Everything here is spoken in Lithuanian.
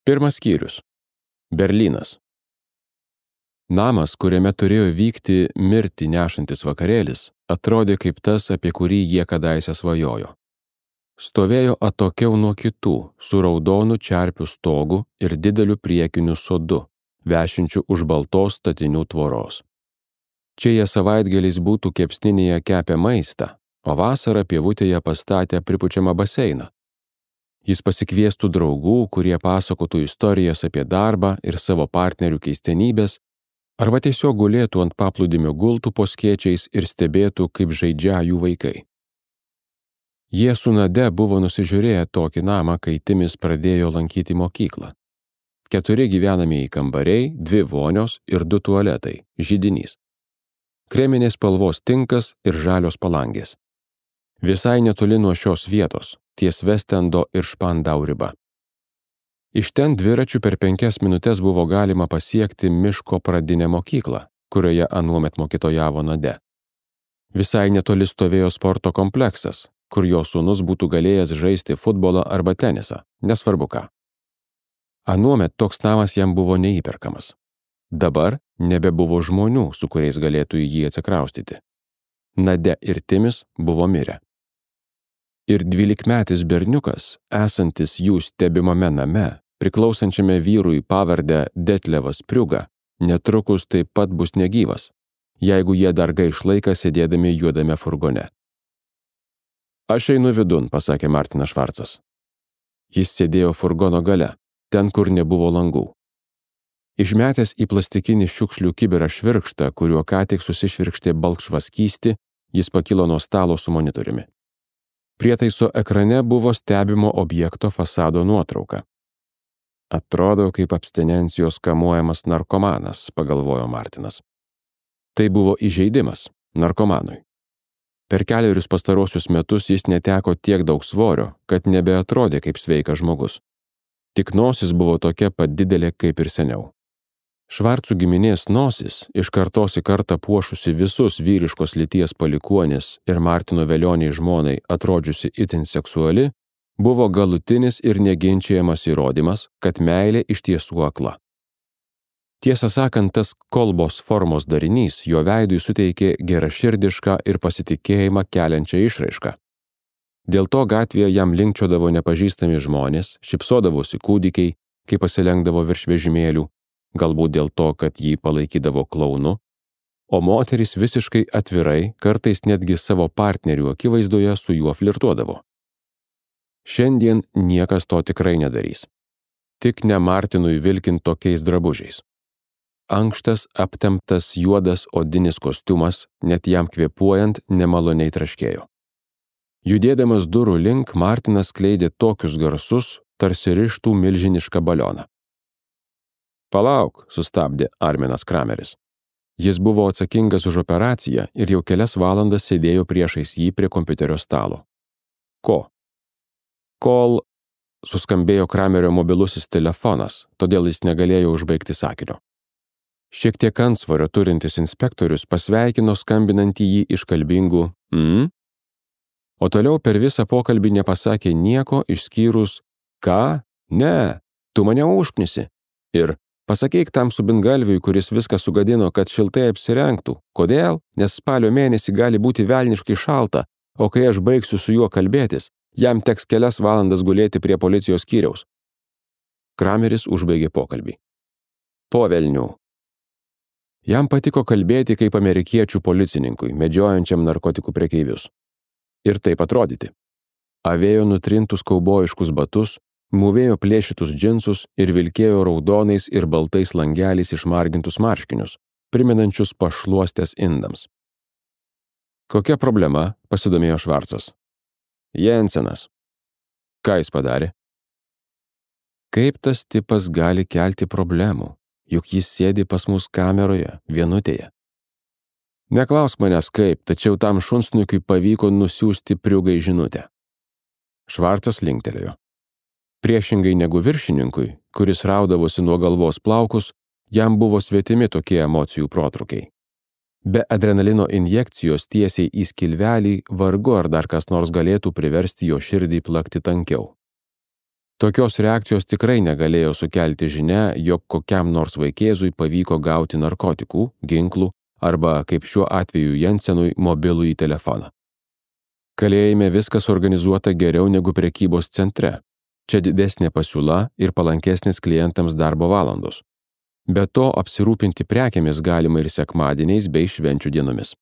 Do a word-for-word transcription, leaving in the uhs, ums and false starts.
Pirmas skyrius. Berlynas. Namas, kuriame turėjo vykti mirtį nešantis vakarėlis, atrodė kaip tas, apie kurį jie kadaise svajojo. Stovėjo atokiau nuo kitų, su raudonu čerpių stogu ir dideliu priekiniu sodu, vešinčiu už baltos statinių tvoros. Čia jie savaitgaliais būtų kepsninėje kepę maistą, o vasarą pievutėje pastatę pripučiamą baseiną. Jis pasikviestų draugų, kurie pasakotų istorijas apie darbą ir savo partnerių keistenybės, arba tiesiog gulėtų ant paplūdimio gultų po skėčiais ir stebėtų, kaip žaidžia jų vaikai. Jie su Nade buvo nusižiūrėję tokį namą, kai Timis pradėjo lankyti mokyklą. Keturi gyvenamieji kambariai, dvi vonios ir du tualetai, židinys. Kreminės spalvos tinkas ir žalios palangės. Visai netoli nuo šios vietos, ties Vestendo ir Špandau riba. Iš ten dviračiu per penkias minutes buvo galima pasiekti miško pradinę mokyklą, kurioje anuomet mokytojavo Nade. Visai netoli stovėjo sporto kompleksas, kur jo sūnus būtų galėjęs žaisti futbolą arba tenisą, nesvarbu ką. Anuomet toks namas jam buvo neįperkamas. Dabar nebebuvo žmonių, su kuriais galėtų į jį atsikraustyti. Nade ir Timis buvo mirę. Ir dvylikmetis berniukas, esantis jų stebimame name, priklausančiame vyrui pavardę Detlevas Priuga, netrukus taip pat bus negyvas, jeigu jie dar gaiš laiką sėdėdami juodame furgone. Aš einu vidun, pasakė Martinas Švarcas. Jis sėdėjo furgono gale, ten, kur nebuvo langų. Išmetęs į plastikinį šiukšlių kibirą švirkštą, kuriuo ką tik susišvirkštė balkšvas skystį, jis pakilo nuo stalo su monitoriumi. Prietaiso ekrane buvo stebimo objekto fasado nuotrauka. Atrodo kaip abstinencijos kamuojamas narkomanas, pagalvojo Martinas. Tai buvo įžeidimas narkomanui. Per kelerius pastarosius metus jis neteko tiek daug svorio, kad nebeatrodė kaip sveikas žmogus. Tik nosis buvo tokia pat didelė kaip ir seniau. Švarcų giminės nosis, iš kartos į kartą puošusi visus vyriškos lyties palikuonis ir Martino velioniai žmonai atrodžiusi itin seksuali, buvo galutinis ir neginčiamas įrodymas, kad meilė iš tiesų akla. Tiesą sakant, tas kolbos formos darinys jo veidui suteikė geraširdišką ir pasitikėjimą keliančią išraišką. Dėl to gatvėje jam linkčiodavo nepažįstami žmonės, šypsodavosi kūdikiai, kai pasilenkdavo virš vežimėlių, galbūt dėl to, kad jį palaikydavo klaunu, o moterys visiškai atvirai, kartais netgi savo partnerių akivaizdoje su juo flirtuodavo. Šiandien niekas to tikrai nedarys. Tik ne Martinui vilkint tokiais drabužiais. Ankštas, aptemptas, juodas odinis kostiumas, net jam kvėpuojant, nemaloniai traškėjo. Judėdamas durų link, Martinas skleidė tokius garsus, tarsi rištų milžinišką balioną. Palauk, sustabdė Arminas Krameris. Jis buvo atsakingas už operaciją ir jau kelias valandas sėdėjo priešais jį prie kompiuterio stalo. Ko? Kol suskambėjo Kramerio mobilusis telefonas, todėl jis negalėjo užbaigti sakinio. Šiek tiek antsvorio turintis inspektorius pasveikino skambinantį jį iškalbingų mm? O toliau per visą pokalbį nepasakė nieko išskyrus ką? Ne, tu mane užknisi. Ir pasakyk tam subingalviui, kuris viską sugadino, kad šiltai apsirengtų. Kodėl? Nes spalio mėnesį gali būti velniškai šalta, o kai aš baigsiu su juo kalbėtis, jam teks kelias valandas gulėti prie policijos skyriaus. Krameris užbaigė pokalbį. Po velnių. Jam patiko kalbėti kaip amerikiečių policininkui, medžiojančiam narkotikų prekeivius. Ir taip atrodyti. Avėjo nutrintus kaubojiškus batus, mūvėjo plėšytus džinsus ir vilkėjo raudonais ir baltais langeliais išmargintus marškinius, primenančius pašluostės indams. Kokia problema, pasidomėjo Švarcas. Jensenas. Ką jis padarė? Kaip tas tipas gali kelti problemų, juk jis sėdi pas mus kameroje, vienutėje. Neklausk manęs kaip, tačiau tam šunsnukiui pavyko nusiųsti Priugai žinutę. Švarcas linktelėjo. Priešingai negu viršininkui, kuris raudavosi nuo galvos plaukus, jam buvo svetimi tokie emocijų protrukiai. Be adrenalino injekcijos tiesiai į skilvelį vargu ar dar kas nors galėtų priversti jo širdį plakti tankiau. Tokios reakcijos tikrai negalėjo sukelti žinia, jog kokiam nors vaikėzui pavyko gauti narkotikų, ginklų arba, kaip šiuo atveju Jensenui, mobilųjį telefoną. Kalėjime viskas organizuota geriau negu prekybos centre. Čia didesnė pasiūla ir palankesnės klientams darbo valandos. Be to, apsirūpinti prekėmis galima ir sekmadieniais bei švenčių dienomis.